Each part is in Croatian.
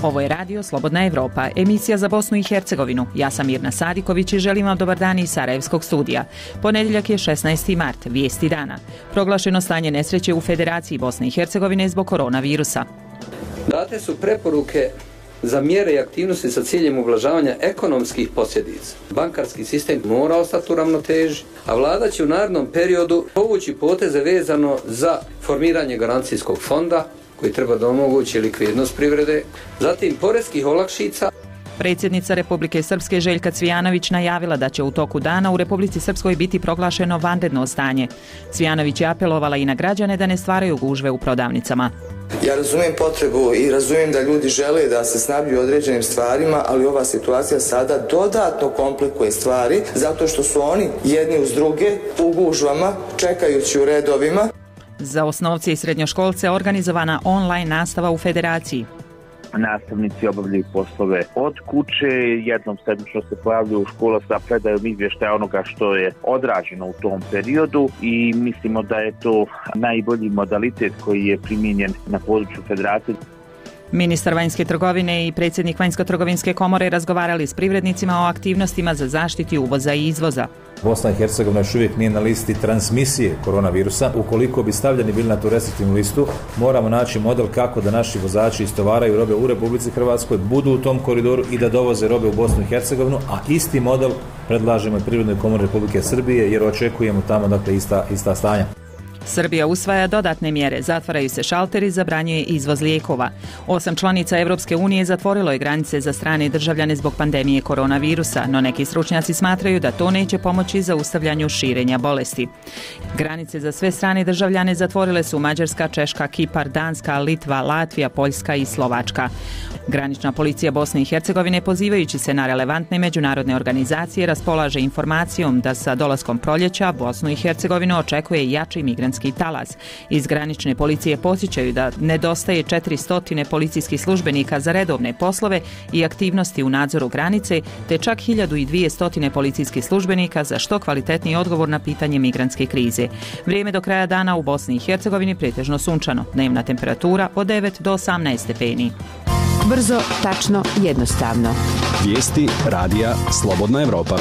Ovo je radio Slobodna Evropa, emisija za Bosnu i Hercegovinu. Ja sam Mirna Sadiković i želim vam dobar dan iz Sarajevskog studija. Ponedjeljak je 16. mart, vijesti dana. Proglašeno stanje nesreće u Federaciji Bosne i Hercegovine zbog koronavirusa. Date su preporuke za mjere i aktivnosti sa ciljem ublažavanja ekonomskih posljedica. Bankarski sistem mora ostati u ravnoteži, a vlada će u narednom periodu povući poteze vezano za formiranje garancijskog fonda koji treba da omogući likvidnost privrede, zatim poreskih olakšica. Predsjednica Republike Srpske Željka Cvijanović najavila da će u toku dana u Republici Srpskoj biti proglašeno vanredno stanje. Cvijanović je apelovala i na građane da ne stvaraju gužve u prodavnicama. Ja razumijem potrebu i razumijem da ljudi žele da se snabdiju određenim stvarima, ali ova situacija sada dodatno komplikuje stvari zato što su oni jedni uz druge u gužvama, čekajući u redovima. Za osnovce i srednjoškolce organizovana online nastava u Federaciji. Nastavnici obavljaju poslove od kuće, jednom sedmično se pojavljuju u škola sa predajom izvještaja onoga što je odrađeno u tom periodu i mislimo da je to najbolji modalitet koji je primijenjen na području Federacije. Ministar vanjske trgovine i predsjednik Vanjsko-trgovinske komore razgovarali s privrednicima o aktivnostima za zaštiti uvoza i izvoza. Bosna i Hercegovina još uvijek nije na listi transmisije koronavirusa. Ukoliko bi stavljeni bili na tu restriktivnu listu, moramo naći model kako da naši vozači istovaraju robe u Republici Hrvatskoj, budu u tom koridoru i da dovoze robe u Bosnu i Hercegovinu, a isti model predlažemo i Privrednoj komori Republike Srbije jer očekujemo tamo dakle ista stanja. Srbija usvaja dodatne mjere, zatvaraju se šalteri, zabranjuje izvoz lijekova. 8 članica Europske unije zatvorilo je granice za strane državljane zbog pandemije koronavirusa, no neki stručnjaci smatraju da to neće pomoći zaustavljanju širenja bolesti. Granice za sve strane državljane zatvorile su Mađarska, Češka, Kipar, Danska, Litva, Latvija, Poljska i Slovačka. Granična policija Bosne i Hercegovine, pozivajući se na relevantne međunarodne organizacije, raspolaže informacijom da sa dolaskom proljeća Bosnu i Hercegovinu očekuje jači migrantski talas. Iz granične policije podsjećaju da nedostaje 400 policijskih službenika za redovne poslove i aktivnosti u nadzoru granice, te čak 1200 policijskih službenika za što kvalitetniji odgovor na pitanje migrantske krize. Vrijeme do kraja dana u Bosni i Hercegovini pretežno sunčano. Dnevna temperatura od 9 do 18 stepeni. Brzo, tačno, jednostavno. Vijesti radija Slobodna Evropa.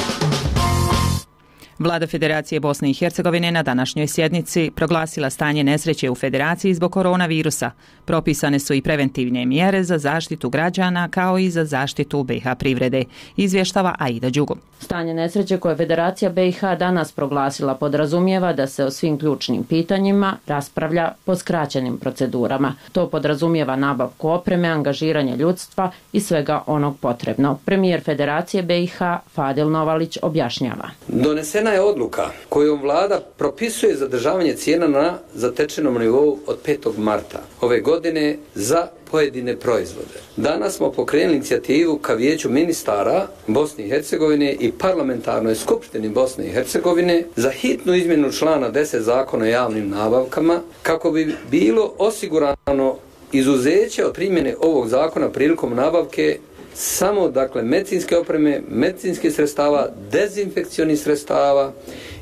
Vlada Federacije Bosne i Hercegovine na današnjoj sjednici proglasila stanje nesreće u Federaciji zbog koronavirusa. Propisane su i preventivne mjere za zaštitu građana kao i za zaštitu BiH privrede, izvještava Aida Đugum. Stanje nesreće koje Federacija BiH danas proglasila podrazumijeva da se o svim ključnim pitanjima raspravlja po skraćenim procedurama. To podrazumijeva nabavku opreme, angažiranje ljudstva i svega onog potrebno. Premijer Federacije BiH Fadil Novalić objašnjava. Donesena je odluka kojom vlada propisuje zadržavanje cijena na zatečenom nivou od 5. marta ove godine za pojedine proizvode. Danas smo pokrenuli inicijativu ka Vijeću ministara Bosne i Hercegovine i parlamentarnoj skupštini Bosne i Hercegovine za hitnu izmjenu člana 10 zakona o javnim nabavkama kako bi bilo osigurano izuzeće od primjene ovog zakona prilikom nabavke samo medicinske opreme, medicinskih sredstava, dezinfekcionih sredstava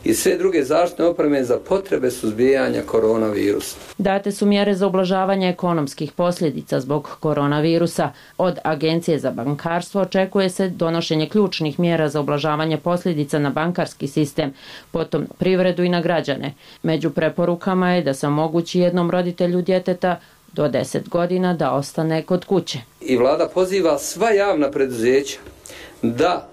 i sve druge zaštitne opreme za potrebe suzbijanja koronavirusa. Date su mjere za ublažavanje ekonomskih posljedica zbog koronavirusa. Od Agencije za bankarstvo očekuje se donošenje ključnih mjera za ublažavanje posljedica na bankarski sistem, potom privredu i na građane. Među preporukama je da se omogući jednom roditelju djeteta do 10 godina da ostane kod kuće. I vlada poziva sva javna preduzeća da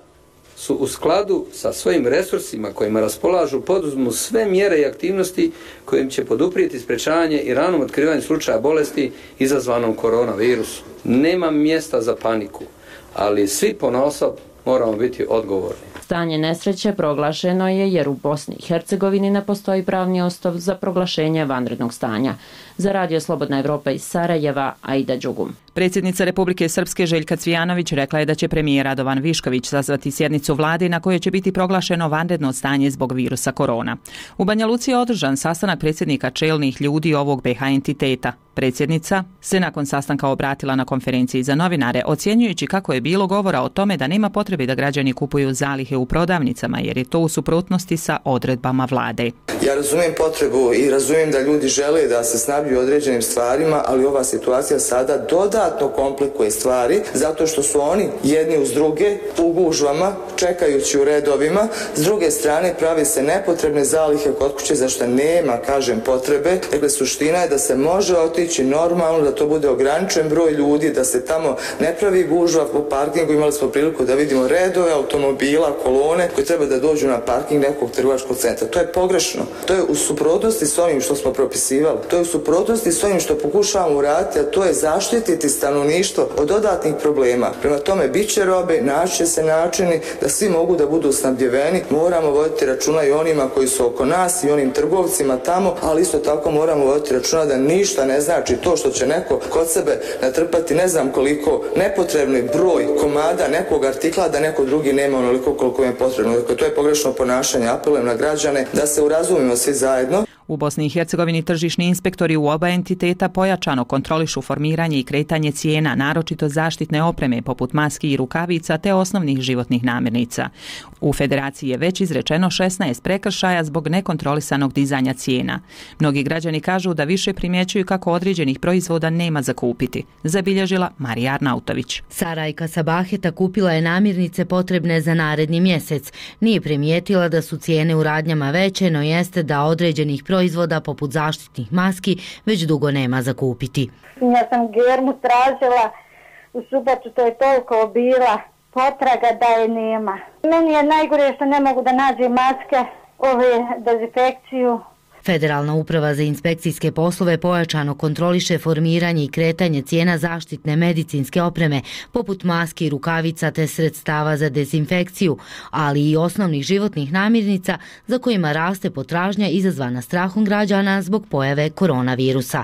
su u skladu sa svojim resursima kojima raspolažu poduzmu sve mjere i aktivnosti kojim će poduprijeti sprečavanje i ranom otkrivanju slučaja bolesti izazvanom koronavirusu. Nema mjesta za paniku, ali svi ponaosob moramo biti odgovorni. Stanje nesreće proglašeno je jer u Bosni i Hercegovini ne postoji pravni osnov za proglašenje vanrednog stanja. Za Radio Slobodna Evropa iz Sarajeva, Aida Đugum. Predsjednica Republike Srpske Željka Cvijanović rekla je da će premijer Radovan Višković sazvati sjednicu vlade na kojoj će biti proglašeno vanredno stanje zbog virusa korona. U Banja Luci je održan sastanak predsjednika čelnih ljudi ovog BiH entiteta. Predsjednica se nakon sastanka obratila na konferenciji za novinare, ocjenjujući kako je bilo govora o tome da nema potrebe da građani kupuju zalihe u prodavnicama jer je to u suprotnosti sa odredbama vlade. Ja razumijem potrebu i razumijem da ljudi žele da se snabdiju određenim stvarima, ali ova situacija sada dodatno dodatno komplikuje stvari zato što su oni jedni uz druge u gužvama čekajući u redovima. S druge strane pravi se nepotrebne zalihe kod kuće za što nema, kažem, potrebe. Dakle, suština je da se može otići normalno, da to bude ograničen broj ljudi, da se tamo ne pravi gužva po parkingu. Imali smo priliku da vidimo redove automobila, kolone koji treba da dođu na parking nekog trgovačkog centra. To je pogrešno. To je u suprotnosti s onim što smo propisivali. To je u suprotnosti s onim što pokušavamo uraditi, a to je zaštititi stanovništvo od dodatnih problema. Prema tome, bit će robe, naći će se načini da svi mogu da budu snabdjeveni. Moramo voditi računa i onima koji su oko nas i onim trgovcima tamo, ali isto tako moramo voditi računa da ništa ne znači to što će neko kod sebe natrpati ne znam koliko nepotrebni broj komada nekog artikla, da neko drugi nema onoliko koliko je potrebno. Dakle, to je pogrešno ponašanje. Apelujem na građane da se urazumimo svi zajedno. U Bosni i Hercegovini tržišni inspektori u oba entiteta pojačano kontrolišu formiranje i kretanje cijena, naročito zaštitne opreme poput maski i rukavica te osnovnih životnih namirnica. U Federaciji je već izrečeno 16 prekršaja zbog nekontrolisanog dizanja cijena. Mnogi građani kažu da više primjećuju kako određenih proizvoda nema za kupiti, zabilježila Marija Arnautović. Sarajka Sabaheta kupila je namirnice potrebne za naredni mjesec. Nije primijetila da su cijene u radnjama veće, no jeste da određenih proizvoda poput zaštitnih maski već dugo nema za kupiti. Ja sam germu tražila u subotu, to je toliko bila potraga da je nema. Meni je najgore što ne mogu da nađem maske, dezinfekciju. Federalna uprava za inspekcijske poslove pojačano kontroliše formiranje i kretanje cijena zaštitne medicinske opreme, poput maski, rukavica te sredstava za dezinfekciju, ali i osnovnih životnih namirnica za kojima raste potražnja izazvana strahom građana zbog pojave koronavirusa.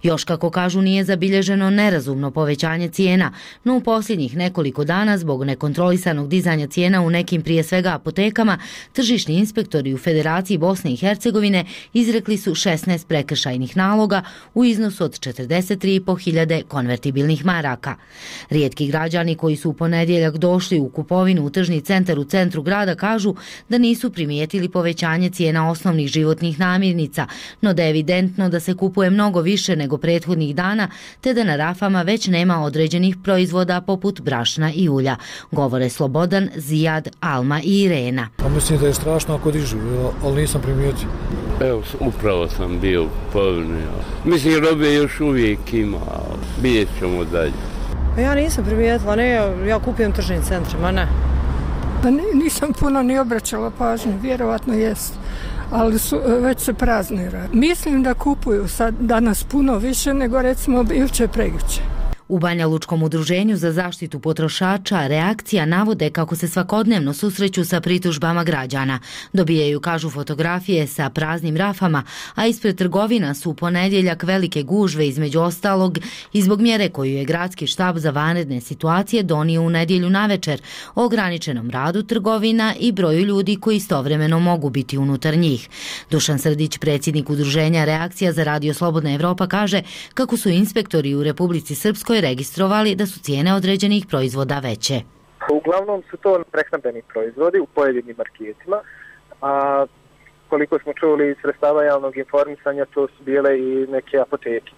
Još, kako kažu, nije zabilježeno nerazumno povećanje cijena, no u posljednjih nekoliko dana zbog nekontrolisanog dizanja cijena u nekim, prije svega apotekama, tržišni inspektori u Federaciji Bosne i Hercegovine izrekli su 16 prekršajnih naloga u iznosu od 43.500 konvertibilnih maraka. Rijetki građani koji su u ponedjeljak došli u kupovinu u tržni centar u centru grada kažu da nisu primijetili povećanje cijena osnovnih životnih namirnica, no da je evidentno da se kupuje mnogo više nego prethodnih dana, te da na rafama već nema određenih proizvoda poput brašna i ulja, govore Slobodan, Zijad, Alma i Irena. Mislim da je strašno ako dižu, ali nisam primijetio. Evo, upravo sam bio u kupovini. Mislim, robe još uvijek ima, vidjet ćemo dalje. Ja nisam primijetila, ne, ja kupujem tržnim centrima, ne. Pa nisam puno ni obraćala pažnju, vjerovatno jest, ali već se praznira. Mislim da kupuju sad danas puno više nego recimo jučer prekjučer. U Banja Lučkom udruženju za zaštitu potrošača reakcija navode kako se svakodnevno susreću sa pritužbama građana. Dobijaju, kažu, fotografije sa praznim rafama, a ispred trgovina su u ponedjeljak velike gužve, između ostalog i zbog mjere koju je gradski štab za vanredne situacije donio u nedjelju navečer o ograničenom radu trgovina i broju ljudi koji istovremeno mogu biti unutar njih. Dušan Srdić, predsjednik udruženja Reakcija za Radio Slobodna Evropa, kaže kako su inspektori u Republici Srpskoj registrovali da su cijene određenih proizvoda veće. Uglavnom su to prehrambeni proizvodi u pojedinim marketima, a koliko smo čuli iz sredstava javnog informisanja, to su bile i neke apoteke,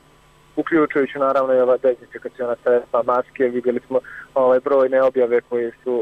uključujući naravno i ova dezinfekaciona sredstva, maske. Vidjeli smo brojne objave koje su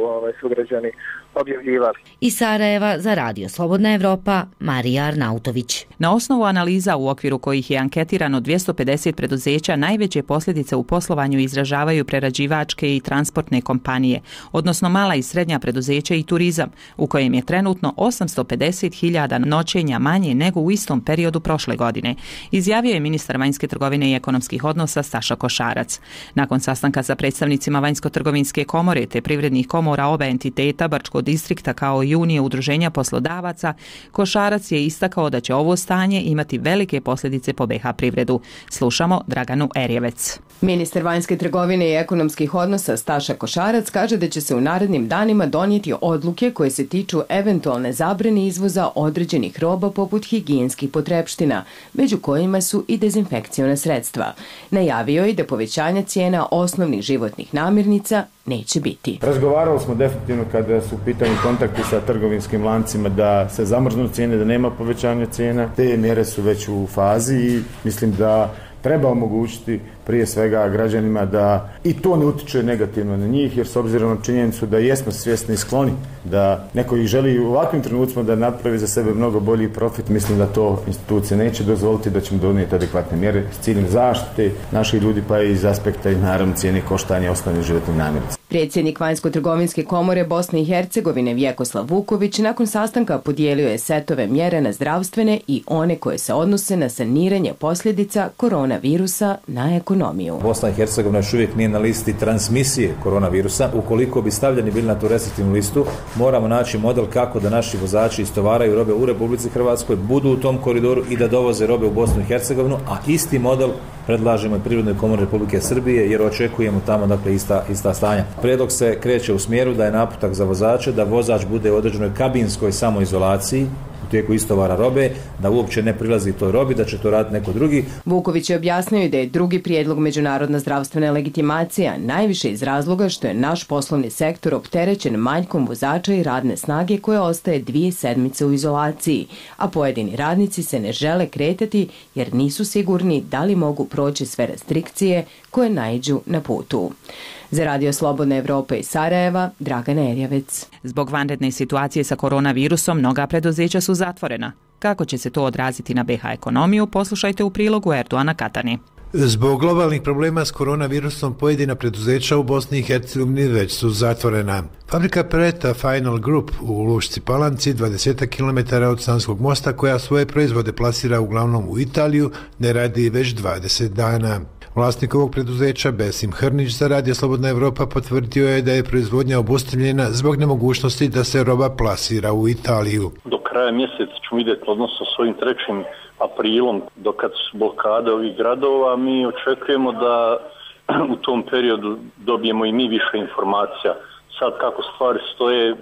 sugrađani objavljivali. Iz Sarajeva za Radio Slobodna Evropa, Marija Arnautović. Na osnovu analiza u okviru kojih je anketirano 250 preduzeća, najveće posljedice u poslovanju izražavaju prerađivačke i transportne kompanije, odnosno mala i srednja preduzeća i turizam, u kojem je trenutno 850.000 noćenja manje nego u istom periodu prošle godine, izjavio je ministar vanjske trgovine i ekonomskih odnosa Staša Košarac. Nakon sastanka sa predstavnicima Vanjsko-trgovinske komore te privrednih komora oba entiteta, Brčkog distrikta kao i Unije udruženja poslodavaca, Košarac je istakao da će ovo stanje imati velike posljedice po BiH privredu. Slušamo Draganu Erjevec. Ministar vanjske trgovine i ekonomskih odnosa Staša Košarac kaže da će se u narednim danima donijeti odluke koje se tiču eventualne zabrane izvoza određenih roba poput higijenskih potrepština, među kojima su i dezinfekciona sredstva. Najavio je da povećanja cijena osnovnih životnih namirnica neće biti. Razgovarali smo definitivno kada su u pitanju kontakti sa trgovinskim lancima da se zamrznu cijene, da nema povećanja cijena. Te mjere su već u fazi i mislim da treba omogućiti prije svega građanima da i to ne utiče negativno na njih, jer s obzirom na činjenicu da jesmo svjesni i skloni da neko ih želi u ovakvim trenucima da napravi za sebe mnogo bolji profit, mislim da to institucije neće dozvoliti, da ćemo donijeti adekvatne mjere s ciljem zaštite naših ljudi, pa i iz aspekta i naravno cijene koštanja osnovnih životnih namirnica. Predsjednik Vanjsko-trgovinske komore Bosne i Hercegovine Vjekoslav Vuković nakon sastanka podijelio je setove mjere na zdravstvene i one koje se odnose na saniranje posljedica koronavirusa na ekonomiju. Bosna i Hercegovina još uvijek nije na listi transmisije koronavirusa. Ukoliko bi stavljeni bili na tu restriktivnu listu, moramo naći model kako da naši vozači istovaraju robe u Republici Hrvatskoj, budu u tom koridoru i da dovoze robe u Bosnu i Hercegovinu, a isti model predlažemo i Privrednoj komori Republike Srbije jer očekujemo tamo dakle ista stanja. Prijedlog se kreće u smjeru da je naputak za vozače da vozač bude u određenoj kabinskoj samoizolaciji u tijeku istovara robe, da uopće ne prilazi toj robi, da će to raditi neko drugi. Vuković je objasnio da je drugi prijedlog međunarodna zdravstvena legitimacija najviše iz razloga što je naš poslovni sektor opterećen manjkom vozača i radne snage koja ostaje 2 sedmice u izolaciji, a pojedini radnici se ne žele kretati jer nisu sigurni da li mogu proći sve restrikcije koje naiđu na putu. Za Radio Slobodna Evropa iz Sarajeva, Dragana Erjavec. Zbog vanredne situacije sa koronavirusom, mnoga preduzeća su zatvorena. Kako će se to odraziti na BiH ekonomiju, poslušajte u prilogu Erdoana Katani. Zbog globalnih problema s koronavirusom pojedina preduzeća u Bosni i Hercegovini već su zatvorena. Fabrika Pereta Final Group u Lušci Palanci, 20 km od Sanskog mosta, koja svoje proizvode plasira uglavnom u Italiju, ne radi već 20 dana. Vlasnik ovog preduzeća, Besim Hrnić, za Radio Slobodna Evropa potvrdio je da je proizvodnja obustavljena zbog nemogućnosti da se roba plasira u Italiju. Do kraja mjeseca ćemo vidjeti, odnosno s ovim 3. aprilom, dokad su blokade ovih gradova, mi očekujemo da u tom periodu dobijemo i mi više informacija. Sad kako stvari stoje,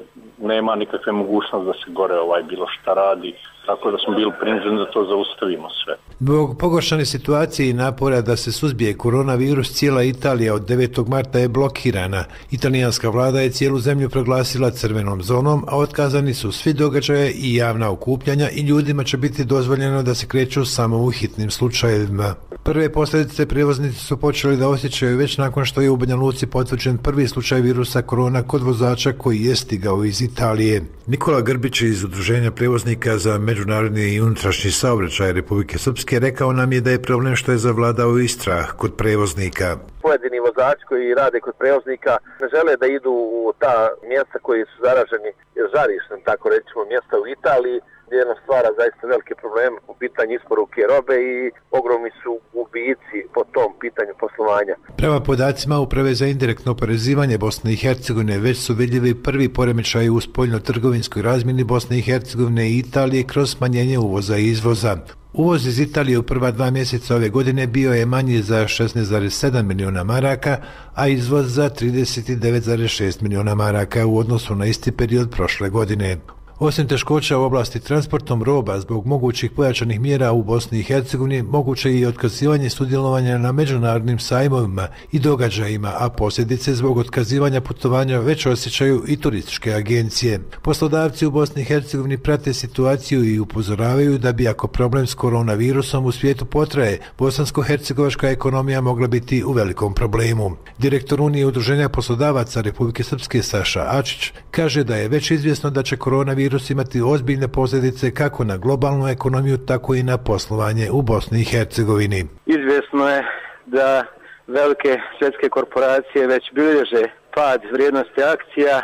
nema nikakve mogućnosti da se gore bilo šta radi, tako da smo bili prinuđeni da to zaustavimo sve. Zbog pogoršane situacije i napora da se suzbije koronavirus, cijela Italija od 9. marta je blokirana. Italijanska vlada je cijelu zemlju proglasila crvenom zonom, a otkazani su svi događaje i javna okupljanja i ljudima će biti dozvoljeno da se kreću samo u hitnim slučajevima. Prve posljedice prijevoznici su počeli da osjećaju već nakon što je u Banja Luci potvrđen prvi slučaj virusa korona kod vozača koji je stigao iz Italije. Nikola Grbić iz Udruženja prijevoznika za međunarodni i unutrašnji saobraćaj Republike Srpske rekao nam je da je problem što je zavladao i strah kod prijevoznika. Pojedini vozači koji rade kod prijevoznika ne žele da idu u ta mjesta koji su zaraženi žarištem, tako rećemo, mjesta u Italiji, gdje nam stvara zaista velike probleme po pitanju isporuke robe i ogromni su gubici po tom pitanju poslovanja. Prema podacima Uprave za indirektno oporezivanje Bosne i Hercegovine već su vidljivi prvi poremećaji u spoljno-trgovinskoj razmjeni Bosne i Hercegovine i Italije kroz smanjenje uvoza i izvoza. Uvoz iz Italije u prva 2 mjeseca ove godine bio je manji za 16,7 milijuna maraka, a izvoz za 39,6 milijuna maraka u odnosu na isti period prošle godine. Osim teškoća u oblasti transportom roba zbog mogućih pojačanih mjera u Bosni i Hercegovini, moguće je i otkazivanje sudjelovanja na međunarodnim sajmovima i događajima, a posljedice zbog otkazivanja putovanja već osjećaju i turističke agencije. Poslodavci u Bosni i Hercegovini prate situaciju i upozoravaju da bi ako problem s koronavirusom u svijetu potraje, bosansko-hercegovačka ekonomija mogla biti u velikom problemu. Direktor Unije udruženja poslodavaca Republike Srpske Saša Ačić kaže da je već izvjesno da će koronavirus imati ozbiljne posljedice kako na globalnu ekonomiju, tako i na poslovanje u Bosni i Hercegovini. Izvjesno je da velike svjetske korporacije već bilježe pad vrijednosti akcija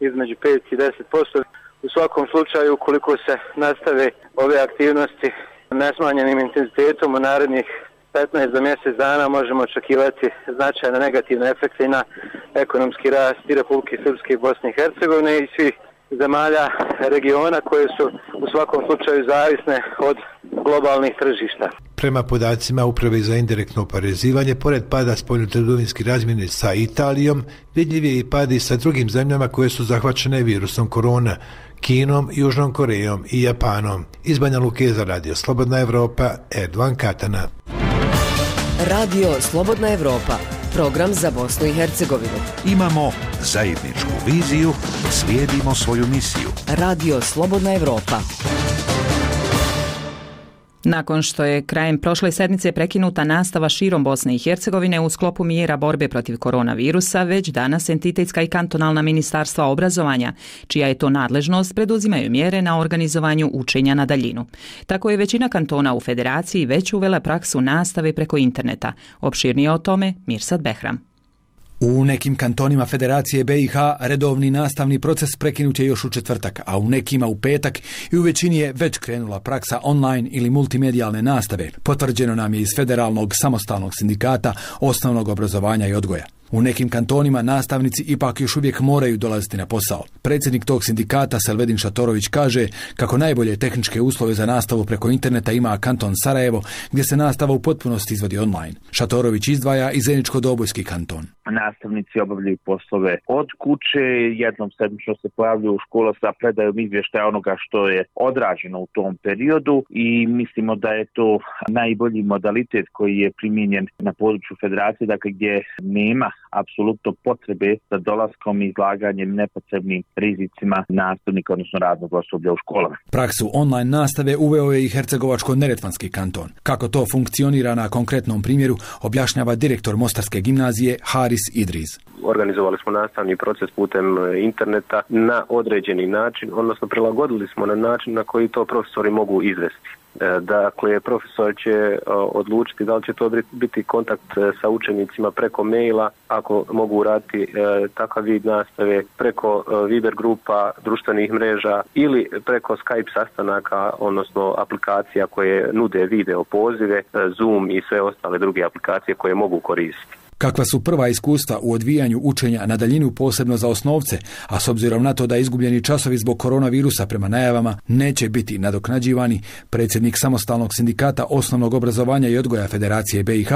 između 5 i 10%. U svakom slučaju, ukoliko se nastave ove aktivnosti nesmanjenim intenzitetom u narednih 15 do mjesec dana, možemo očekivati značajne negativne efekte i na ekonomski rast i Republike Srpske i Bosne i Hercegovine i svih zemalja regiona koje su u svakom slučaju zavisne od globalnih tržišta. Prema podacima Uprave za indirektno oporezivanje, pored pada spoljnotrgovinske razmjene sa Italijom, vidljiv je i pad i sa drugim zemljama koje su zahvaćene virusom korona, Kinom, Južnom Korejom i Japanom. Iz Banja Luke za Radio Slobodna Evropa, Erdoan Katana. Radio Slobodna Evropa, program za Bosnu i Hercegovinu. Imamo zajedničku viziju, slijedimo svoju misiju. Radio Slobodna Evropa. Nakon što je krajem prošle sedmice prekinuta nastava širom Bosne i Hercegovine u sklopu mjera borbe protiv koronavirusa, već danas entitetska i kantonalna ministarstva obrazovanja, čija je to nadležnost, preduzimaju mjere na organizovanju učenja na daljinu. Tako je većina kantona u federaciji već uvela praksu nastave preko interneta. Opširnije o tome Mirsad Behram. U nekim kantonima Federacije BiH redovni nastavni proces prekinut je još u četvrtak, a u nekima u petak i u većini je već krenula praksa online ili multimedijalne nastave, potvrđeno nam je iz Federalnog samostalnog sindikata osnovnog obrazovanja i odgoja. U nekim kantonima nastavnici ipak još uvijek moraju dolaziti na posao. Predsjednik tog sindikata Selvedin Šatorović kaže kako najbolje tehničke uslove za nastavu preko interneta ima kanton Sarajevo, gdje se nastava u potpunosti izvodi online. Šatorović izdvaja i Zeničko-Dobojski kanton. Nastavnici obavljaju poslove od kuće, jednom sedmično se pojavljuju u školu sa predajom izvještaja onoga što je odrađeno u tom periodu i mislimo da je to najbolji modalitet koji je primijenjen na području federacije, dakle gdje nema apsolutno potrebe za dolaskom i izlaganjem nepotrebnim rizicima nastavnika, odnosno radnog osoblja u školama. Praksu online nastave uveo je i Hercegovačko-neretvanski kanton. Kako to funkcionira na konkretnom primjeru, objašnjava direktor Mostarske gimnazije Haris Idriz. Organizovali smo nastavni proces putem interneta na određeni način, odnosno prilagodili smo na način na koji to profesori mogu izvesti. Dakle, profesor će odlučiti da li će to biti kontakt sa učenicima preko maila, ako mogu raditi takav vid nastave, preko Viber grupa, društvenih mreža ili preko Skype sastanaka, odnosno aplikacija koje nude video pozive, Zoom i sve ostale druge aplikacije koje mogu koristiti. Kakva su prva iskustva u odvijanju učenja na daljinu, posebno za osnovce, a s obzirom na to da izgubljeni časovi zbog koronavirusa prema najavama neće biti nadoknađivani, predsjednik samostalnog sindikata osnovnog obrazovanja i odgoja Federacije BiH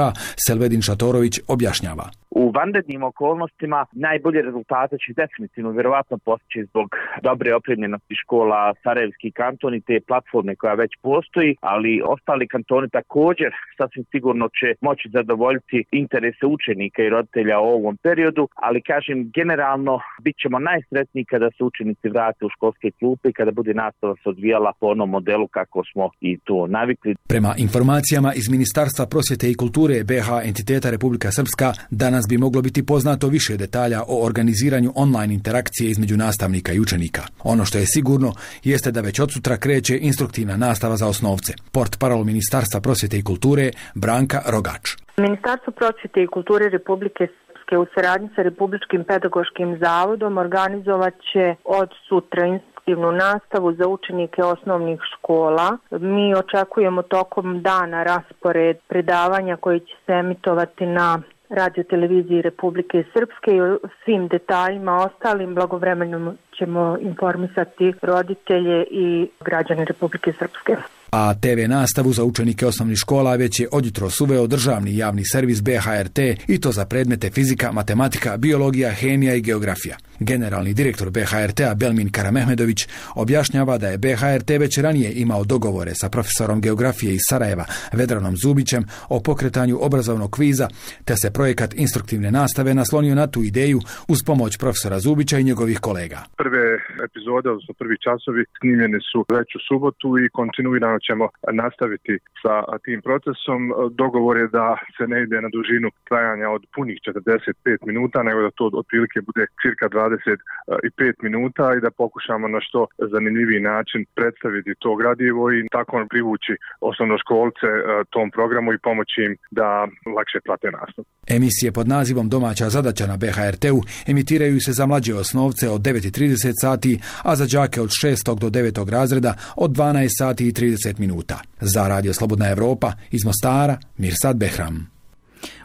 Selvedin Šatorović objašnjava. U vanrednim okolnostima najbolje rezultate će definitivno vjerovatno postići zbog dobre opremljenosti škola Sarajevski kanton i te platforme koja već postoji, ali ostali kantoni također sasvim sigurno će moći zadovoljiti interese učenika i roditelja u ovom periodu, ali kažem generalno bit ćemo najsretniji kada se učenici vrate u školske klupe i kada bude nastava se odvijala po onom modelu kako smo i to navikli. Prema informacijama iz Ministarstva prosvjete i kulture BiH entiteta Republika Srpska, danas bi moglo biti poznato više detalja o organiziranju online interakcije između nastavnika i učenika. Ono što je sigurno jeste da već od sutra kreće instruktivna nastava za osnovce. Portparol Ministarstva prosvjete i kulture Branka Rogač. Ministarstvo prosvjete i kulture Republike Srpske u saradnji sa Republičkim pedagoškim zavodom organizovat će od sutra instruktivnu nastavu za učenike osnovnih škola. Mi očekujemo tokom dana raspored predavanja koji će se emitovati na Radio televiziji Republike Srpske i o svim detaljima ostalim blagovremenom ćemo informisati roditelje i građane Republike Srpske. A TV nastavu za učenike osnovnih škola već je odjutros uveo državni javni servis BHRT i to za predmete fizika, matematika, biologija, hemija i geografija. Generalni direktor BHRT-a Belmin Karamehmedović objašnjava da je BHRT već ranije imao dogovore sa profesorom geografije iz Sarajeva Vedranom Zubićem o pokretanju obrazovnog kviza, te se projekat instruktivne nastave naslonio na tu ideju uz pomoć profesora Zubića i njegovih kolega. Prve epizode, odnosno prvi časovi snimljeni su već u subotu i kontinuirano ćemo nastaviti sa tim procesom. Dogovor je da se ne ide na dužinu trajanja od punih 45 minuta, nego da to otprilike bude cirka 25 minuta i da pokušamo na što zanimljiviji način predstaviti to gradivo i tako privući osnovnoškolce tom programu i pomoći im da lakše prate nastavu. Emisije pod nazivom Domaća zadaća na BHRT-u emitiraju se za mlađe osnovce od 9:30 sati, a za đake od 6. do 9. razreda od 12 sati i 30 minuta. Za Radio Slobodna Evropa iz Mostara, Mirsad Behram.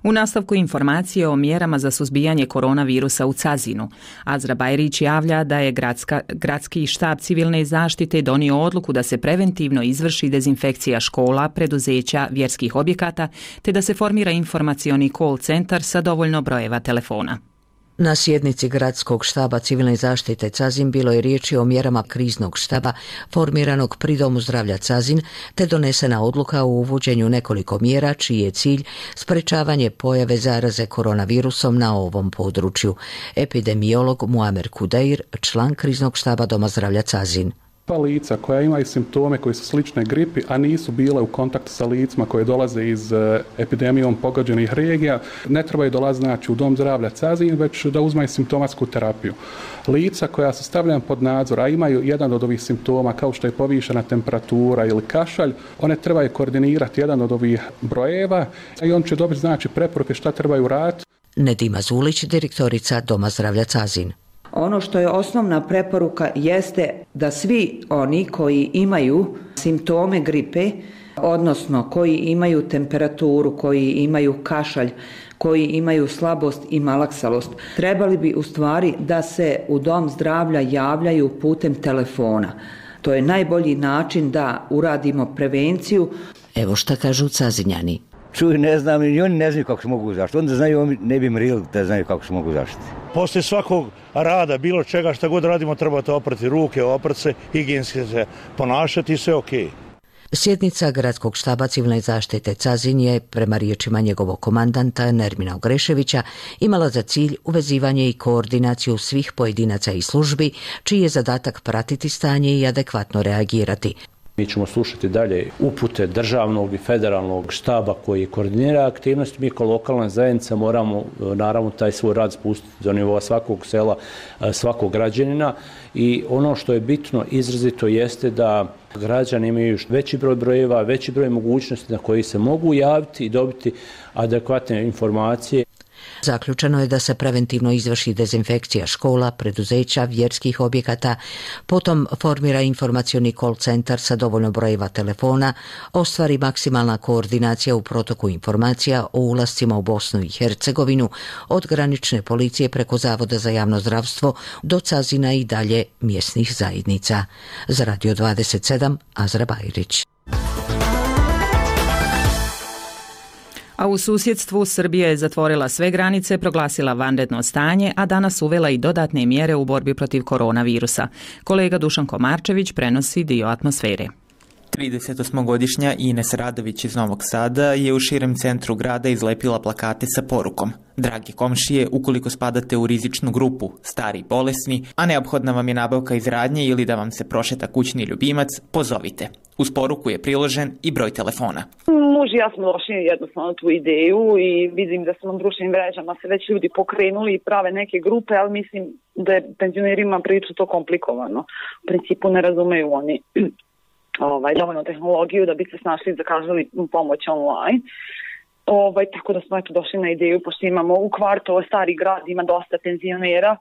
U nastavku informacije o mjerama za suzbijanje koronavirusa u Cazinu. Azra Bajrić javlja da je gradski štab civilne zaštite donio odluku da se preventivno izvrši dezinfekcija škola, preduzeća, vjerskih objekata, te da se formira informacioni call centar sa dovoljno brojeva telefona. Na sjednici gradskog štaba civilne zaštite Cazin bilo je riječi o mjerama kriznog štaba formiranog pri Domu zdravlja Cazin, te donesena odluka o uvođenju nekoliko mjera čiji je cilj sprečavanje pojave zaraze koronavirusom na ovom području. Epidemiolog Muamer Kudeir, član kriznog štaba Doma zdravlja Cazin. Pa lica koja imaju simptome koji su slične gripi, a nisu bile u kontaktu sa licima koje dolaze iz epidemijom pogođenih regija, ne trebaju dolaziti znači u dom zdravlja Cazin, već da uzmaju simptomatsku terapiju. Lica koja su stavljena pod nadzor, a imaju jedan od ovih simptoma kao što je povišena temperatura ili kašalj, one trebaju koordinirati jedan od ovih brojeva i on će dobiti znači preporuke šta trebaju raditi. Nedima Zulić, direktorica Doma zdravlja Cazin. Ono što je osnovna preporuka jeste da svi oni koji imaju simptome gripe, odnosno koji imaju temperaturu, koji imaju kašalj, koji imaju slabost i malaksalost, trebali bi u stvari da se u dom zdravlja javljaju putem telefona. To je najbolji način da uradimo prevenciju. Evo šta kažu Cazinjani. Čuj, ne znam, i oni ne znaju kako se mogu zaštiti. Onda znaju, oni ne bi mrili da znaju kako se mogu zaštiti. Poslije svakog rada, bilo čega, šta god radimo, trebate oprati ruke, oprati se, higijenski se ponašati i sve okej. Sjednica Gradskog štaba civilne zaštite Cazin je, prema riječima njegovog komandanta Nermina Ogreševića, imala za cilj uvezivanje i koordinaciju svih pojedinaca i službi, čiji je zadatak pratiti stanje i adekvatno reagirati. Mi ćemo slušati dalje upute državnog i federalnog štaba koji koordinira aktivnosti. Mi kao lokalna zajednica moramo naravno taj svoj rad spustiti do nivoa svakog sela, svakog građanina i ono što je bitno izrazito jeste da građani imaju veći broj brojeva, veći broj mogućnosti na koji se mogu javiti i dobiti adekvatne informacije. Zaključeno je da se preventivno izvrši dezinfekcija škola, preduzeća, vjerskih objekata, potom formira informacioni call centar sa dovoljno brojeva telefona, ostvari maksimalna koordinacija u protoku informacija o ulascima u Bosnu i Hercegovinu, od granične policije preko Zavoda za javno zdravstvo do Cazina i dalje mjesnih zajednica. Za Radio 27, Azra Bajrić. A u susjedstvu Srbija je zatvorila sve granice, proglasila vanredno stanje, a danas uvela i dodatne mjere u borbi protiv koronavirusa. Kolega Dušan Komarčević prenosi dio atmosfere. 38-godišnja Ines Radović iz Novog Sada je u širem centru grada izlepila plakate sa porukom: dragi komšije, ukoliko spadate u rizičnu grupu, stari i bolesni, a neophodna vam je nabavka iz radnje ili da vam se prošeta kućni ljubimac, pozovite. Uz poruku je priložen i broj telefona. Muž i ja smo došli jednostavno tu ideju i vidim da su na društvenim mrežama se već ljudi pokrenuli i prave neke grupe, ali mislim da je penzionerima prilično to komplikovano. U principu ne razumeju oni dovoljno tehnologiju da bi se snašli i zakazali pomoć online. Tako da smo došli na ideju, pošto imamo u kvartu stari grad, ima dosta penzionera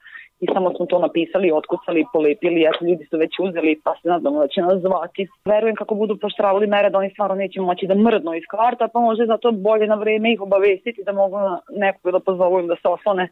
i samo smo to napisali, otkucali, polepili, ljudi su već uzeli pa se nadamo da će nas zvati. Verujem kako budu poštravali mere da oni stvarno neće moći da mrdnu iz kvarta, pa može zato bolje na vreme ih obavestiti da mogu nekog da pozovu im da se oslone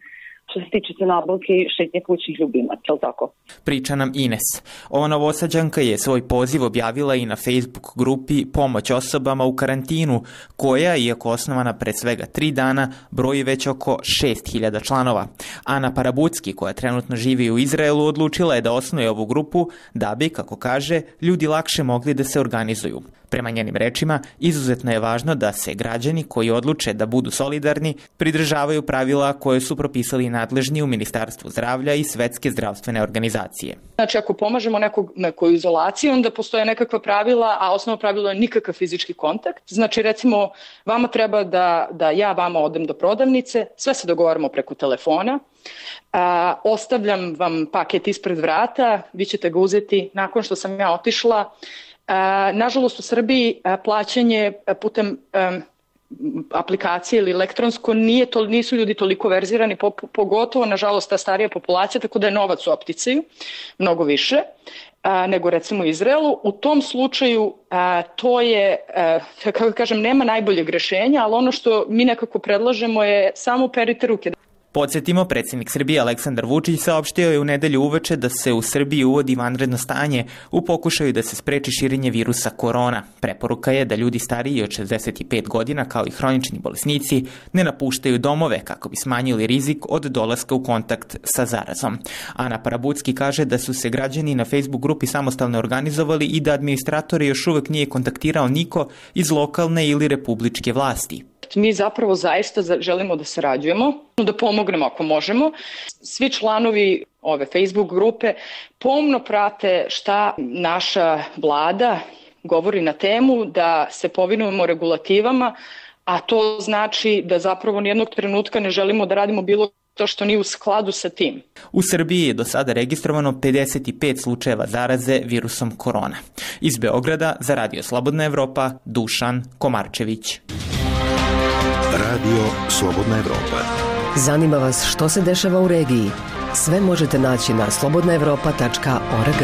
što se tiče se nabavke i šetnje kućnih ljubimaca, je li tako? Priča nam Ines. Ova Novosađanka je svoj poziv objavila i na Facebook grupi Pomoć osobama u karantinu, koja, iako osnovana pred svega 3 dana, broji već oko 6000 članova. Ana Parabucki, koja trenutno živi u Izraelu, odlučila je da osnuje ovu grupu da bi, kako kaže, ljudi lakše mogli da se organizuju. Prema njenim rečima, izuzetno je važno da se građani koji odluče da budu solidarni pridržavaju pravila koje su propisali nadležni u Ministarstvu zdravlja i Svetske zdravstvene organizacije. Znači, ako pomažemo nekoj izolaciji, onda postoje nekakva pravila, a osnovno pravilo je nikakav fizički kontakt. Znači, recimo, vama treba da ja vama odem do prodavnice, sve se dogovaramo preko telefona, ostavljam vam paket ispred vrata, vi ćete ga uzeti nakon što sam ja otišla. Nažalost, u Srbiji plaćanje putem aplikacije ili elektronsko nisu ljudi toliko verzirani, pogotovo, nažalost, ta starija populacija, tako da je novac u opticaju mnogo više nego recimo u Izraelu. U tom slučaju to je, kako kažem, nema najboljeg rješenja, ali ono što mi nekako predlažemo je samo perite ruke. Podsjetimo, predsjednik Srbije Aleksandar Vučić saopštio je u nedelju uveče da se u Srbiji uvodi vanredno stanje u pokušaju da se spreči širenje virusa korona. Preporuka je da ljudi stariji od 65 godina, kao i hronični bolesnici, ne napuštaju domove kako bi smanjili rizik od dolaska u kontakt sa zarazom. Ana Parabucki kaže da su se građani na Facebook grupi samostalno organizovali i da administratori još uvek nije kontaktirao niko iz lokalne ili republičke vlasti. Mi zapravo zaista želimo da sarađujemo, da pomognemo ako možemo. Svi članovi ove Facebook grupe, pomno prate šta naša vlada govori na temu, da se povinujemo regulativama, a to znači da zapravo nijednog trenutka ne želimo da radimo bilo to što nije u skladu sa tim. U Srbiji je do sada registrovano 55 slučajeva zaraze virusom korona. Iz Beograda za Radio Slobodna Evropa, Dušan Komarčević. Radio Slobodna Evropa. Zanima vas što se dešava u regiji? Sve možete naći na slobodnaevropa.org.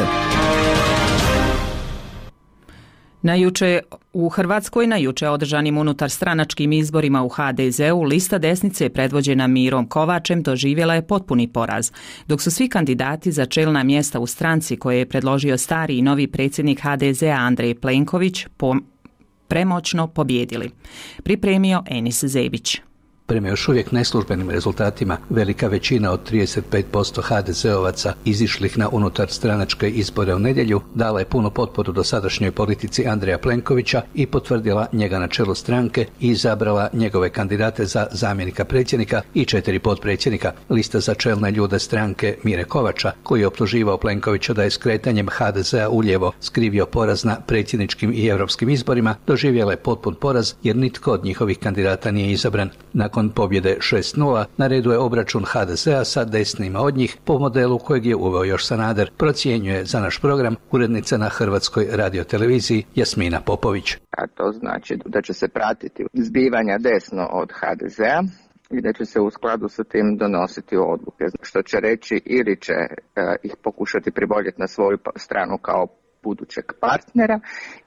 U Hrvatskoj na juče održanim unutar stranačkim izborima u HDZ-u lista desnice predvođena Mirom Kovačem doživjela je potpuni poraz, dok su svi kandidati za čelna mjesta u stranci koje je predložio stari i novi predsjednik HDZ-a Andrej Plenković premoćno pobjedili. Pripremio Enis Zebić. Prema još uvijek neslužbenim rezultatima, velika većina od 35% HDZ-ovaca izišlih na unutar stranačke izbore u nedjelju dala je punu potporu dosadašnjoj politici Andreja Plenkovića i potvrdila njega na čelu stranke i izabrala njegove kandidate za zamjenika predsjednika i 4 potpredsjednika. Lista za čelne ljude stranke Mire Kovača, koji je optuživao Plenkovića da je skretanjem HDZ-a uljevo skrivio poraz na predsjedničkim i europskim izborima, doživjela je potpun poraz jer nitko od njihovih kandidata nije izabran. Nakon pobjede 6:0 na redu je obračun HDZ-a sa desnima od njih po modelu kojeg je uveo još Sanader, procjenjuje za naš program urednica na Hrvatskoj radioteleviziji Jasmina Popović. A to znači da će se pratiti zbivanja desno od HDZ-a i da će se u skladu sa tim donositi odluke, što će reći ili će ih pokušati priboljeti na svoju stranu kao budućeg partnera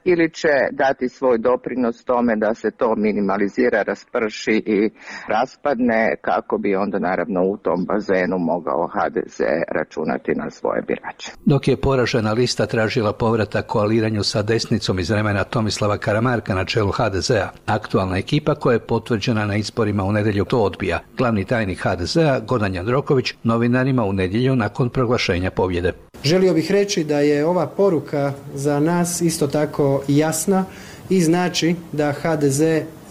ili će dati svoj doprinos tome da se to minimalizira, rasprši i raspadne kako bi onda naravno u tom bazenu mogao HDZ računati na svoje birače. Dok je poražena lista tražila povratak koaliranju sa desnicom iz vremena Tomislava Karamarka na čelu HDZ-a, aktualna ekipa koja je potvrđena na izborima u nedjelju to odbija. Glavni tajnik HDZ-a Gordan Jandroković novinarima u nedjelju nakon proglašenja pobjede. Želio bih reći da je ova poruka za nas isto tako jasna i znači da HDZ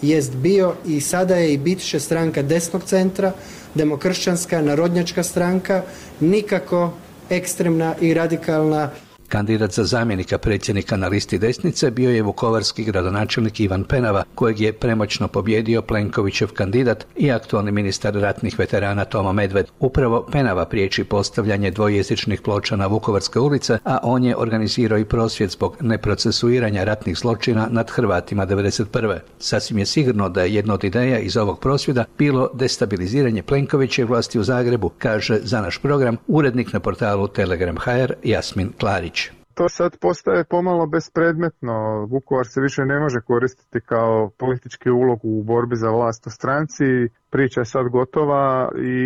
jest bio i sada je i bit će stranka desnog centra, demokršćanska, narodnjačka stranka, nikako ekstremna i radikalna. Kandidat za zamjenika predsjednika na listi desnice bio je vukovarski gradonačelnik Ivan Penava, kojeg je premoćno pobjedio Plenkovićev kandidat i aktualni ministar ratnih veterana Tomo Medved. Upravo Penava priječi postavljanje dvojezičnih ploča na Vukovarske ulice, a on je organizirao i prosvjed zbog neprocesuiranja ratnih zločina nad Hrvatima 1991. Sasvim je sigurno da je jedna od ideja iz ovog prosvjeda bilo destabiliziranje Plenkovićeve vlasti u Zagrebu, kaže za naš program urednik na portalu Telegram.hr Jasmin Klarić. To sad postaje pomalo bespredmetno. Vukovar se više ne može koristiti kao politički ulog u borbi za vlast u stranci. Priča je sad gotova i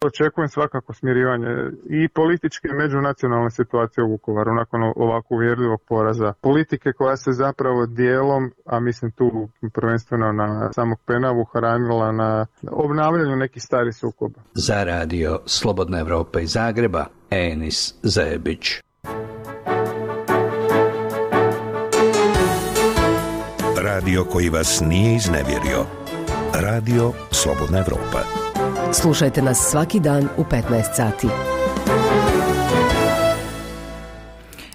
očekujem svakako smirivanje i političke i međunacionalne situacije u Vukovaru nakon ovako uvjerljivog poraza. Politike koja se zapravo dijelom, a mislim tu prvenstveno na samog Penavu, hranila na obnavljanju nekih starih sukoba. Za Radio Slobodna Evropa iz Zagreba, Enis Zebić. Radio koji vas nije iznevjerio. Radio Slobodna Evropa. Slušajte nas svaki dan u 15 sati.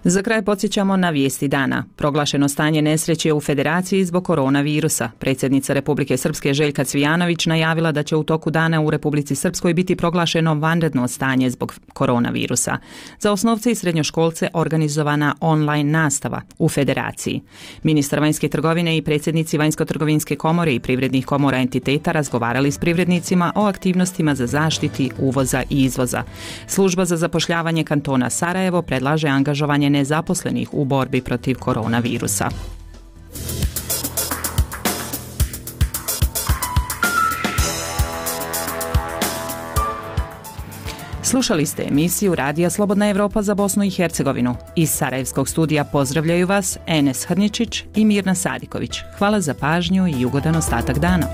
Za kraj podsjećamo na vijesti dana. Proglašeno stanje nesreće u Federaciji zbog koronavirusa. Predsjednica Republike Srpske Željka Cvijanović najavila da će u toku dana u Republici Srpskoj biti proglašeno vanredno stanje zbog koronavirusa. Za osnovce i srednjoškolce organizovana online nastava u Federaciji. Ministar vanjske trgovine i predsjednici Vanjsko-trgovinske komore i privrednih komora entiteta razgovarali s privrednicima o aktivnostima za zaštiti uvoza i izvoza. Služba za zapošljavanje kantona Sarajevo predlaže angažovanje nezaposlenih u borbi protiv koronavirusa. Slušali ste emisiju Radija Slobodna Evropa za Bosnu i Hercegovinu. Iz Sarajevskog studija pozdravljaju vas Enes Hrničić i Mirna Sadiković. Hvala za pažnju i ugodan ostatak dana.